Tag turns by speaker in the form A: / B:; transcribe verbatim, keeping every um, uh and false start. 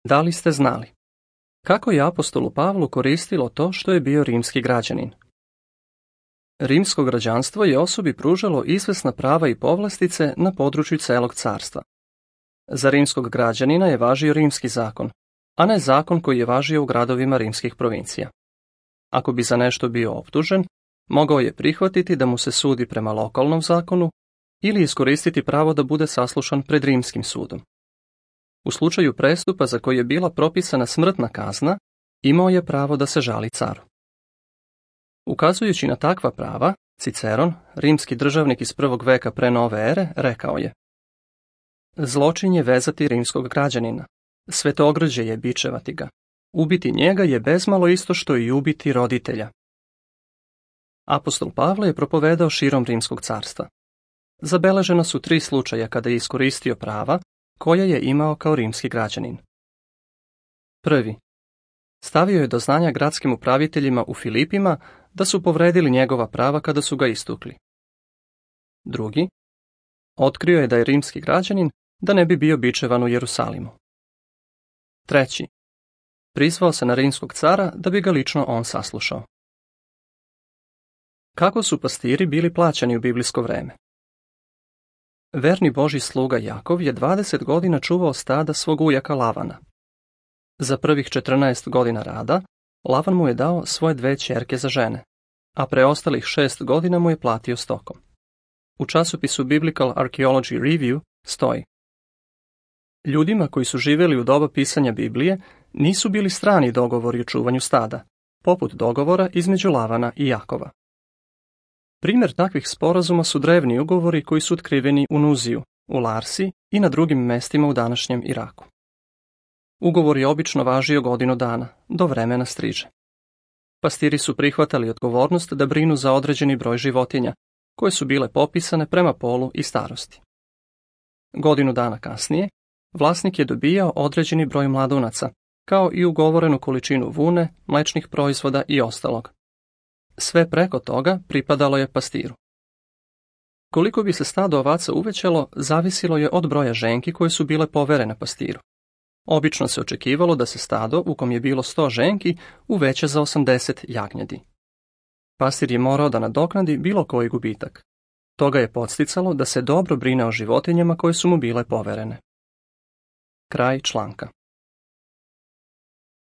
A: Da li ste znali? Kako je apostolu Pavlu koristilo to što je bio rimski građanin? Rimsko građanstvo je osobi pružalo izvesna prava i povlastice na području celog carstva. Za rimskog građanina je važio rimski zakon, a ne zakon koji je važio u gradovima rimskih provincija. Ako bi za nešto bio optužen, mogao je prihvatiti da mu se sudi prema lokalnom zakonu ili iskoristiti pravo da bude saslušan pred rimskim sudom. U slučaju prestupa za koji je bila propisana smrtna kazna, imao je pravo da se žali caru. Ukazujući na takva prava, Ciceron, rimski državnik iz prvog veka pre nove ere, rekao je: Zločin je vezati rimskog građanina, svetogrđe je bičevati ga, ubiti njega je bezmalo isto što i ubiti roditelja. Apostol Pavle je propovedao širom rimskog carstva. Zabeležena su tri slučaja kada je iskoristio prava koja je imao kao rimski građanin. Prvi. Stavio je do znanja gradskim upraviteljima u Filipima da su povredili njegova prava kada su ga istukli. Drugi. Otkrio je da je rimski građanin da ne bi bio bičevan u Jerusalimu. Treći. Prizvao se na rimskog cara da bi ga lično on saslušao. Kako su pastiri bili plaćani u biblijsko vreme? Verni Božji sluga Jakov je dvadeset godina čuvao stada svog ujaka Lavana. Za prvih četrnaest godina rada, Lavan mu je dao svoje dve ćerke za žene, a preostalih šest godina mu je platio stokom. U časopisu Biblical Archaeology Review stoji: Ljudima koji su živjeli u doba pisanja Biblije nisu bili strani dogovori o čuvanju stada, poput dogovora između Lavana i Jakova. Primjer takvih sporazuma su drevni ugovori koji su otkriveni u Nuziju, u Larsi i na drugim mestima u današnjem Iraku. Ugovor je obično važio godinu dana, do vremena striže. Pastiri su prihvatali odgovornost da brinu za određeni broj životinja, koje su bile popisane prema polu i starosti. Godinu dana kasnije, vlasnik je dobijao određeni broj mladunaca, kao i ugovorenu količinu vune, mlečnih proizvoda i ostalog. Sve preko toga pripadalo je pastiru. Koliko bi se stado ovaca uvećalo, zavisilo je od broja ženki koje su bile poverene pastiru. Obično se očekivalo da se stado, u kom je bilo sto ženki, uveća za osamdeset jagnjadi. Pastir je morao da nadoknadi bilo koji gubitak. Toga je podsticalo da se dobro brine o životinjama koje su mu bile poverene. Kraj članka.